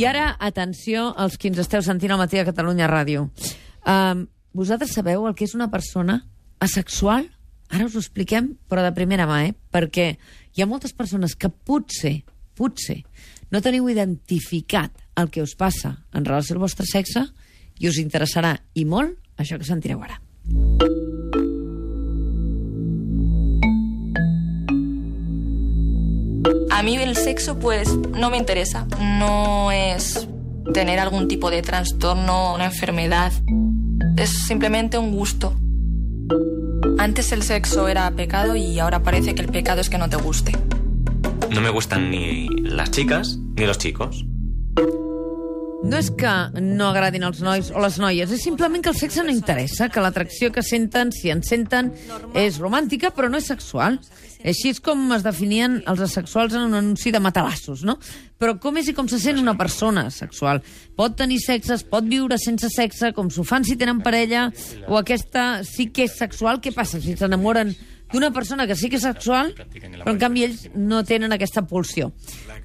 I ara, atenció als qui ens esteu sentint al matí a Catalunya Ràdio. Vosaltres sabeu el que és una persona asexual? Ara us ho expliquem, però de primera mà, perquè hi ha moltes persones que potser no teniu identificat el que us passa en relació al vostre sexe i us interessarà, i molt, això que sentireu ara. A mí el sexo, pues, no me interesa. No es tener algún tipo de trastorno, una enfermedad. Es simplemente un gusto. Antes el sexo era pecado y ahora parece que el pecado es que no te guste. No me gustan ni las chicas ni los chicos. No és que no agradin els nois o les noies, és simplement que el sexe no interessa, que l'atracció que senten, si en senten, és romàntica, però no és sexual. Així és com es definien els asexuals en un anunci de matalassos, no? Però com és i com se sent una persona sexual? Pot tenir sexes, pot viure sense sexe, com s'ho fan si tenen parella, o aquesta sí que és sexual? Què passa si s'enamoren d'una persona que sí que és sexual, però en canvi ells no tenen aquesta pulsió?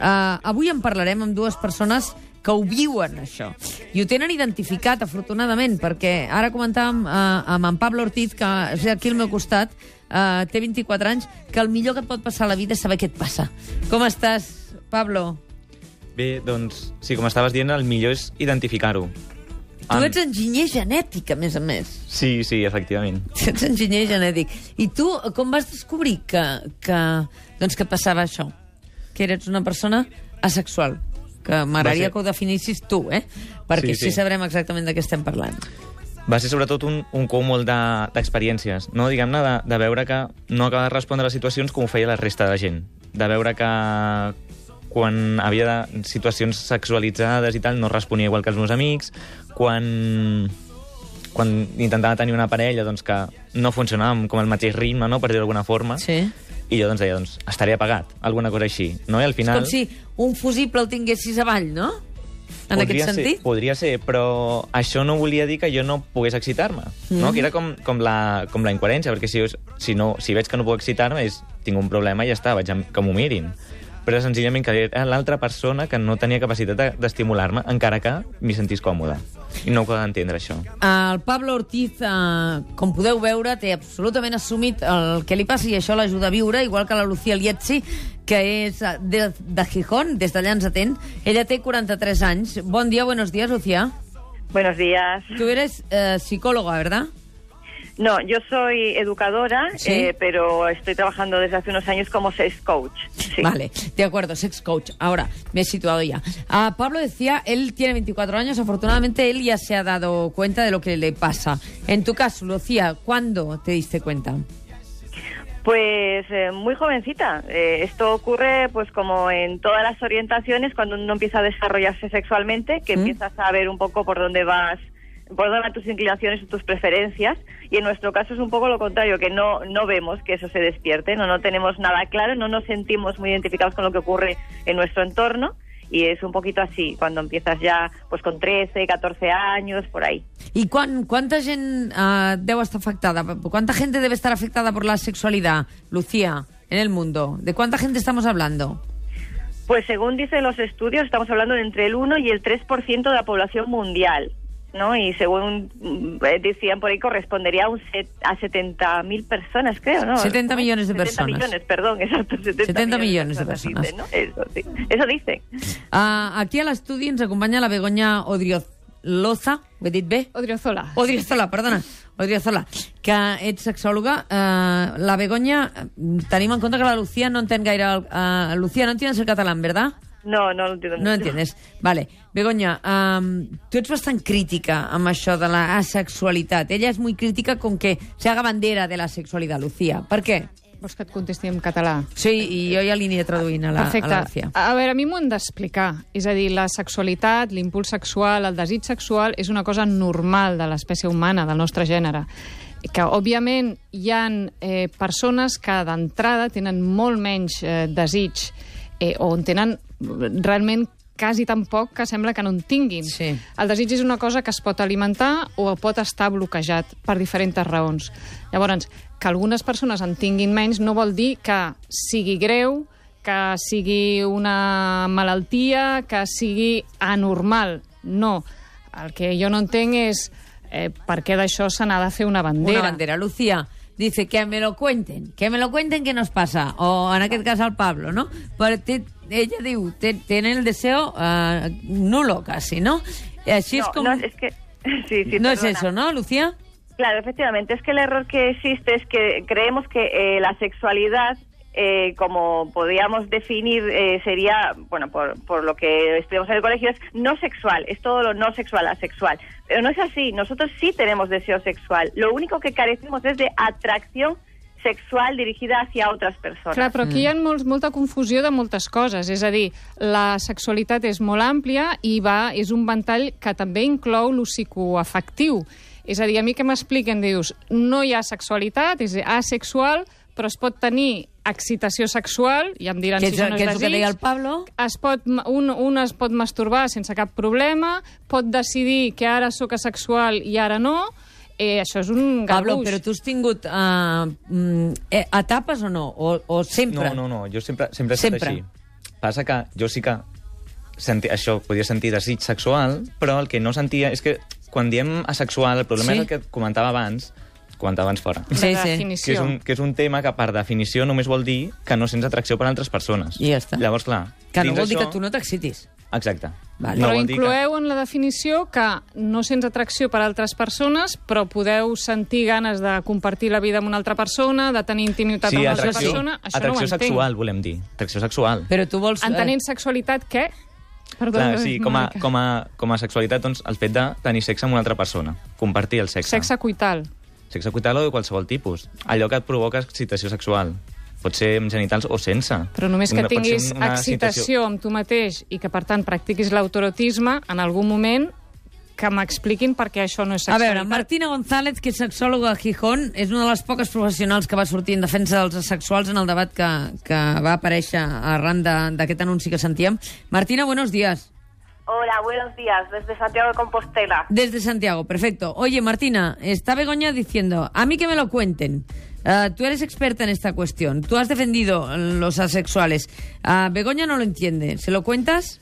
Avui en parlarem amb dues persones que ho viuen, això. I ho tenen identificat, afortunadament, perquè ara comentàvem amb en Pablo Ortiz, que és aquí al meu costat, té 24 anys, que el millor que et pot passar a la vida és saber què et passa. Com estàs, Pablo? Bé, doncs, sí, com estaves dient, el millor és identificar-ho. Tu ets enginyer genètic, a més. Sí, efectivament. Ets enginyer genètic. I tu, com vas descobrir que et passava això? Que eres una persona asexual? Que m'agradaria que ho definissis tu, perquè sí sabrem exactament de què estem parlant. Va ser sobretot un cúmul d'experiències, no? Diguem-ne, de veure que no acabava de respondre a les situacions com ho feia la resta de gent. De veure que quan havia situacions sexualitzades i tal, no responia igual que els meus amics, quan intentava tenir una parella doncs, que no funcionava com el mateix ritme, no? Per dir-ho d'alguna forma. Sí. I jo deia, estaré apagat, alguna cosa així. No? I al final... És com si un fusible el tinguessis avall, no? En aquest sentit? Podria ser, però això no volia dir que jo no pogués excitar-me. No? Que era com la incoherència, perquè si veig que no puc excitar-me, tinc un problema i ja està, que m'ho mirin. Però senzillament que era l'altra persona que no tenia capacitat d'estimular-me, encara que m'hi sentís còmode. I no ho poden entendre, això. El Pablo Ortiz, com podeu veure, té absolutament assumit el que li passa i això l'ajuda a viure, igual que la Lucía Lietzi, que és de Gijón, des d'allà ens atén. Ella té 43 anys. Bon dia, buenos días, Lucía. Buenos días. Tú eres psicóloga, ¿verdad? No, yo soy educadora, ¿sí? Pero estoy trabajando desde hace unos años como sex coach. Sí. Vale, de acuerdo, sex coach. Ahora, me he situado ya. Pablo decía, él tiene 24 años, afortunadamente él ya se ha dado cuenta de lo que le pasa. En tu caso, Lucía, ¿cuándo te diste cuenta? Pues muy jovencita. Esto ocurre pues como en todas las orientaciones, cuando uno empieza a desarrollarse sexualmente, que empiezas a ver un poco por dónde van tus inclinaciones y tus preferencias, y en nuestro caso es un poco lo contrario, que no vemos que eso se despierte, no tenemos nada claro, no nos sentimos muy identificados con lo que ocurre en nuestro entorno, y es un poquito así, cuando empiezas ya pues con 13, 14 años, por ahí. ¿Y cuánta gente debe estar afectada? ¿Cuánta gente debe estar afectada por la sexualidad, Lucía, en el mundo? ¿De cuánta gente estamos hablando? Pues según dicen los estudios, estamos hablando de entre el 1 y el 3% de la población mundial, ¿no? Y según decían por ahí, correspondería a 70.000 personas, creo, ¿no? 70 millones de personas. 70 millones, perdón, exacto. 70 millones de personas. Dicen, ¿no? Eso, sí. Eso dicen. Aquí a l'estudi ens acompanya la Begoña Odriozola. Ho he dit bé? Odriozola, perdona. Odriozola, que ets sexòloga. La Begoña, tenim en compte que la Lucía no entén gaire... Lucía, no entiendes el catalán, ¿verdad? No lo entiendo. No entiendes. Vale. Begoña, tu ets bastant crítica amb això de la asexualitat. Ella és muy crítica con que se haga bandera de la sexualidad, Lucía. Per què? Vols que et contesti en català? Sí, i jo ja li aniré traduint a la Lucía. A veure, a mi m'ho han d'explicar. És a dir, la sexualitat, l'impuls sexual, el desig sexual és una cosa normal de l'espècie humana, del nostre gènere. Que, òbviament, hi ha persones que d'entrada tenen molt menys desig o en tenen realment quasi tan poc que sembla que no en tinguin. Sí. El desig és una cosa que es pot alimentar o pot estar bloquejat per diferents raons. Llavors, que algunes persones en tinguin menys no vol dir que sigui greu, que sigui una malaltia, que sigui anormal. No. El que jo no entenc és per què d'això se n'ha de fer una bandera. Una bandera. Lucía dice que me lo cuenten que nos pasa. O en aquest cas al Pablo, ¿no? Però ella diu, tiene el deseo nulo casi, ¿no? Així és com... No, es que... Sí, no es eso, ¿no, Lucía? Claro, efectivamente. Es que el error que existe es que creemos que la sexualidad, como podríamos definir, sería, bueno, por lo que estudiamos en el colegio, es no sexual. Es todo lo no sexual, asexual. Pero no es así. Nosotros sí tenemos deseo sexual. Lo único que carecemos es de atracción sexual dirigida hacia altres persones. Clar, però aquí hi ha molta confusió de moltes coses. És a dir, la sexualitat és molt àmplia i és un ventall que també inclou lo psicoafectiu. És a dir, a mi que m'expliquen, dius, no hi ha sexualitat, és asexual, però es pot tenir excitació sexual, ja em diran si això no és desig. Que és el que deia el Pablo. Un es pot masturbar sense cap problema, pot decidir que ara sóc asexual i ara no. Això és un garbuix. Pablo, però tu has tingut etapes o no? O sempre? No, jo sempre he estat així. Passa que jo sí que això podia sentir desig sexual, però el que no sentia és que quan diem asexual, el problema és el que comentava abans fora. La definició. Que és un tema que, per definició, només vol dir que no sents atracció per altres persones. I ja està. Llavors, clar... Que no vol dir que tu no t'excitis. Exacte. Vale. Però incloeu en la definició que no sents atracció per altres persones, però podeu sentir ganes de compartir la vida amb una altra persona, de tenir intimitat amb una altra persona. Això no ho entenc. Atracció sexual, volem dir. Atracció sexual. Però tu vols... Entenent sexualitat, què? Clar, sí, com a sexualitat, doncs, el fet de tenir sexe amb una altra persona. Compartir el sexe. Sexe coital. Sexe coital o de qualsevol tipus. Allò que et provoca excitació sexual. Pot ser amb genitals o sense. Però només que tinguis excitació amb tu mateix i que, per tant, practiquis l'autoerotisme, en algun moment que m'expliquin per què això no és sexualitat. A veure, Martina González, que és sexòloga a Gijón, és una de les poques professionals que va sortir en defensa dels asexuals en el debat que va aparèixer arran d'aquest anunci que sentíem. Martina, buenos días. Hola, buenos días, desde Santiago de Compostela. Desde Santiago, perfecto. Oye, Martina, está Begoña diciendo, a mí que me lo cuenten. Tú eres experta en esta cuestión. Tú has defendido los asexuales. Begoña no lo entiende. ¿Se lo cuentas?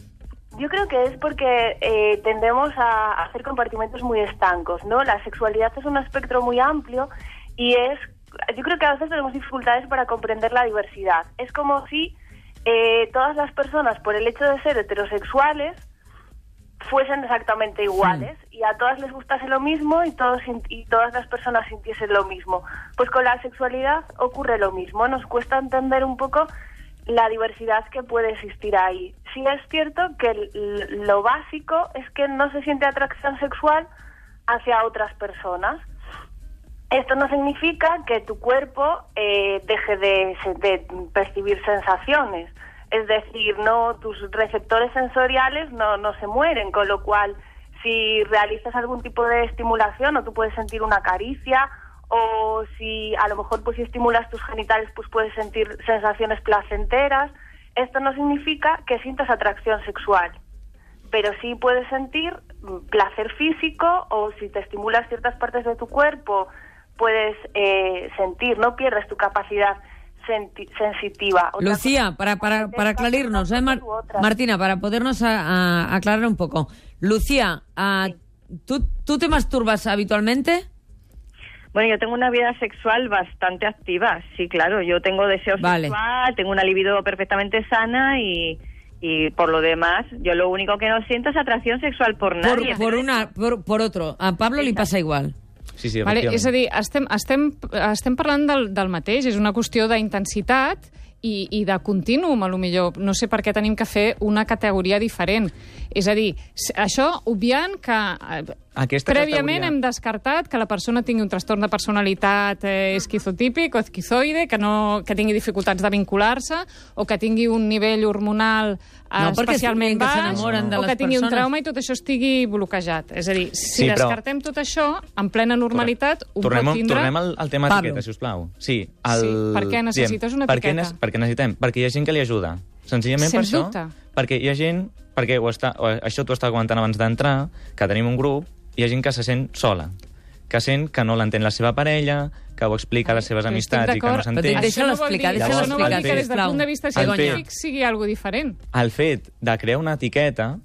Yo creo que es porque tendemos a hacer compartimentos muy estancos, ¿no? La sexualidad es un espectro muy amplio y yo creo que a veces tenemos dificultades para comprender la diversidad. Es como si todas las personas, por el hecho de ser heterosexuales, fuesen exactamente iguales y a todas les gustase lo mismo y todas las personas sintiesen lo mismo. Pues con la sexualidad ocurre lo mismo. Nos cuesta entender un poco la diversidad que puede existir ahí. Sí es cierto que lo básico es que no se siente atracción sexual hacia otras personas. Esto no significa que tu cuerpo deje de percibir sensaciones. Es decir, no, tus receptores sensoriales no se mueren, con lo cual si realizas algún tipo de estimulación o tú puedes sentir una caricia o si a lo mejor pues si estimulas tus genitales pues puedes sentir sensaciones placenteras. Esto no significa que sientas atracción sexual, pero sí puedes sentir placer físico o si te estimulas ciertas partes de tu cuerpo puedes sentir, no pierdes tu capacidad sensitiva. Lucía, para aclarirnos, Martina, para podernos aclarar un poco. Lucía, ¿tú te masturbas habitualmente? Bueno, yo tengo una vida sexual bastante activa, sí, claro. Yo tengo deseo sexual, tengo una libido perfectamente sana y por lo demás, yo lo único que no siento es atracción sexual por nadie. Por otro. A Pablo li passa igual. Sí, vale, és a dir, estem parlant del mateix, és una qüestió d'intensitat i de contínuum, a lo millor. No sé per què tenim que fer una categoria diferent. És a dir, això obviant que prèviament hem descartat que la persona tingui un trastorn de personalitat esquizotípic o esquizoide, que tingui dificultats de vincular-se o que tingui un nivell hormonal especialment baix o que tingui un trauma i tot això estigui bloquejat. És a dir, si descartem tot això, en plena normalitat, ho pot tindre... Tornem al tema etiqueta, sisplau. Sí, per què necessites una etiqueta? Per què necessitem? Perquè hi ha gent que li ajuda. Senzillament per això. Perquè hi ha gent... Això t'ho estava comentant abans d'entrar, que tenim un grup, hi ha gent que se sent sola, que sent que no l'entén la seva parella, que ho explica a les seves amistats i que no s'entén. Deixa-lo explicar, Això no vol dir que des del sisplau. punt de vista científic sigui algo diferent. El fet de crear una etiqueta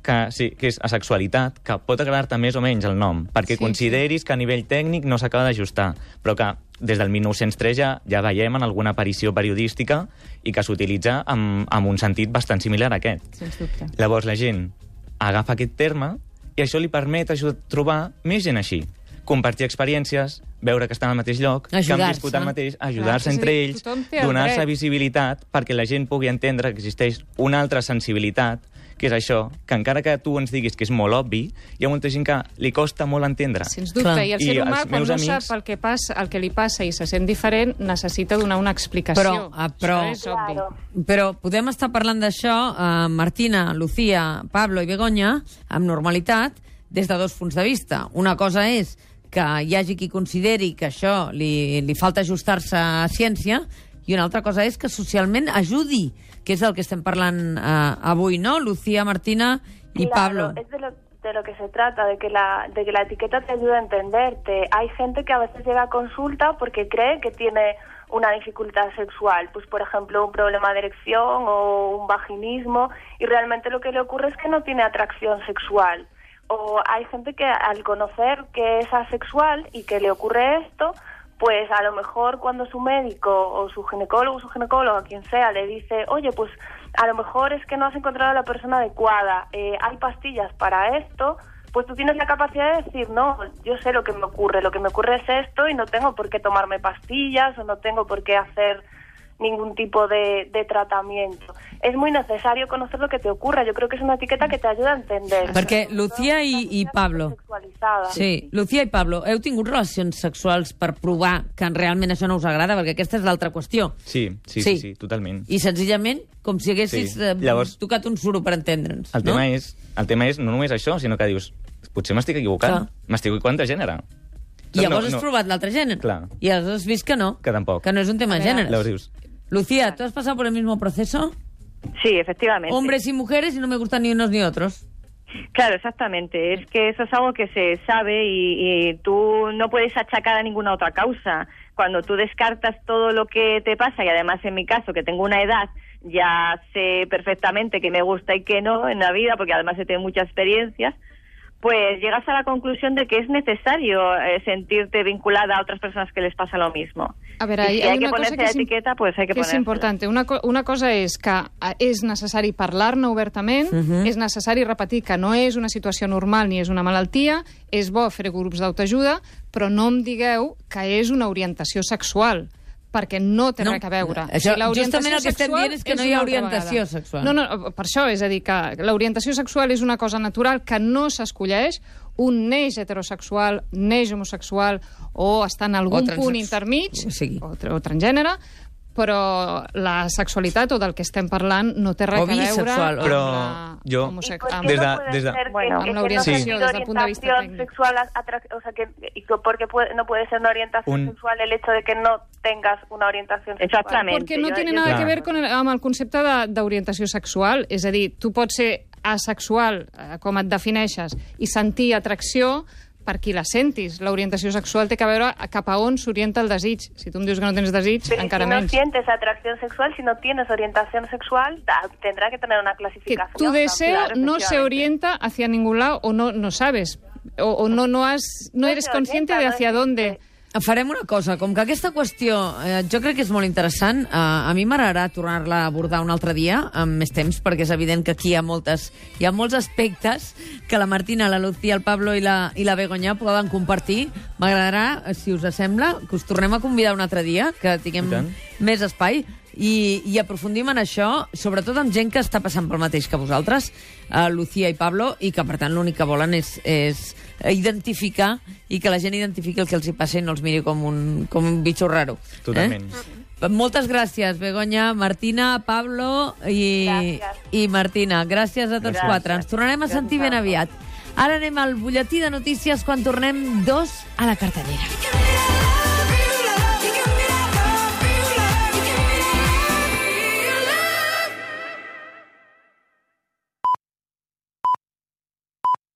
que és asexualitat, que pot agradar-te més o menys el nom, perquè consideris que a nivell tècnic no s'acaba d'ajustar, però que des del 1903 ja veiem en alguna aparició periodística i que s'utilitza amb un sentit bastant similar a aquest. Sens dubte. Llavors la gent agafa aquest terme i això li permet trobar més gent així. Compartir experiències, veure que estan al mateix lloc, que han viscut el mateix, ajudar-se entre ells, donar-se visibilitat perquè la gent pugui entendre que existeix una altra sensibilitat, que és això, que encara que tu ens diguis que és molt obvi, hi ha molta gent que li costa molt entendre. Sens dubte, i el ser humà, quan no sap el que li passa i se sent diferent, necessita donar una explicació. Això és obvi. Però podem estar parlant d'això, Martina, Lucía, Pablo i Begoña, amb normalitat, des de dos punts de vista. Una cosa és que hi hagi qui consideri que això li falta ajustar-se a ciència, i una altra cosa és que socialment ajudi, que és el que estem parlant avui, ¿no? Lucía, Martina y Pablo. Es de lo que se trata, de que la etiqueta te ayuda a entenderte. Hay gente que a veces llega a consulta porque cree que tiene una dificultad sexual, pues por ejemplo un problema de erección o un vaginismo, y realmente lo que le ocurre es que no tiene atracción sexual. O hay gente que al conocer que es asexual y que le ocurre esto, pues a lo mejor cuando su médico o su ginecólogo, quien sea, le dice, oye, pues a lo mejor es que no has encontrado a la persona adecuada, hay pastillas para esto, pues tú tienes la capacidad de decir, no, yo sé lo que me ocurre es esto y no tengo por qué tomarme pastillas o no tengo por qué hacer ningún tipo de tratamiento. És muy necesario conocer lo que te ocurre. Yo creo que es una etiqueta que te ayuda a entender. Perquè Lucía i Pablo... Sí, Lucía i Pablo, heu tingut relacions sexuals per provar que realment això no us agrada? Perquè aquesta és l'altra qüestió. Sí, totalment. I senzillament, com si haguessis tocat un suro per entendre'ns. El tema és no només això, sinó que dius, potser m'estic equivocant, m'estic equivocant de gènere. I llavors has provat l'altre gènere. Clar. I has vist que no. Que tampoc. Que no és un tema de gènere. Llavors dius... Lucía, ¿tú has pasado por el mismo proceso? Sí, efectivamente. Hombres y mujeres y no me gustan ni unos ni otros. Claro, exactamente. Es que eso es algo que se sabe y tú no puedes achacar a ninguna otra causa. Cuando tú descartas todo lo que te pasa, y además en mi caso, que tengo una edad, ya sé perfectamente qué me gusta y qué no en la vida, porque además he tenido muchas experiencias, pues llegas a la conclusión de que es necesario sentirte vinculada a otras personas que les pasa lo mismo. A veure, si hay que ponerse la etiqueta, pues hay que ponerse. És important. Una cosa és que és necessari parlar-ne obertament, és necessari repetir que no és una situació normal ni és una malaltia, és bo fer grups d'autoajuda, però no em digueu que és una orientació sexual, perquè no té res a veure. Això, justament el que estem dient és que no hi ha orientació sexual. No, per això, és a dir, que l'orientació sexual és una cosa natural que no s'escolleix, un neix heterosexual, neix homosexual o està en algun punt intermig, o transgènere, però la sexualitat o del que estem parlant no té res a veure amb l'orientació des del punt de vista tècnic. O sea, porque no puede ser una orientación sexual el hecho de que no tengas una orientación sexual. Exactamente. Porque no tiene nada que ver amb el concepte d'orientació sexual. És a dir, tu pots ser asexual, com et defineixes, i sentir atracció per qui la sentis. L'orientació sexual té que veure cap a on s'orienta el desig. Si tu em dius que no tens desig, encara menys. Si no sientes atracción sexual, si no tienes orientación sexual, tendrá que tener una clasificación. Que tu deseo no se orienta hacia ningún lado o no sabes, o no eres consciente de hacia dónde. Farem una cosa, com que aquesta qüestió jo crec que és molt interessant, a mi m'agradarà tornar-la a abordar un altre dia amb més temps, perquè és evident que aquí hi ha molts aspectes que la Martina, la Lucía, el Pablo i la Begoña poden compartir. M'agradarà, si us sembla, que us tornem a convidar un altre dia, que tinguem més espai i aprofundim en això, sobretot amb gent que està passant pel mateix que vosaltres, Lucía i Pablo, i que per tant l'únic que volen és identificar i que la gent identifiqui el que els hi passa i no els miri com un bitxo raro. Totalment. Moltes gràcies, Begoña, Martina, Pablo i Martina. Gràcies a tots quatre. Ens tornarem a sentir ben aviat. Ara anem al butlletí de notícies quan tornem 2 a la cartellera.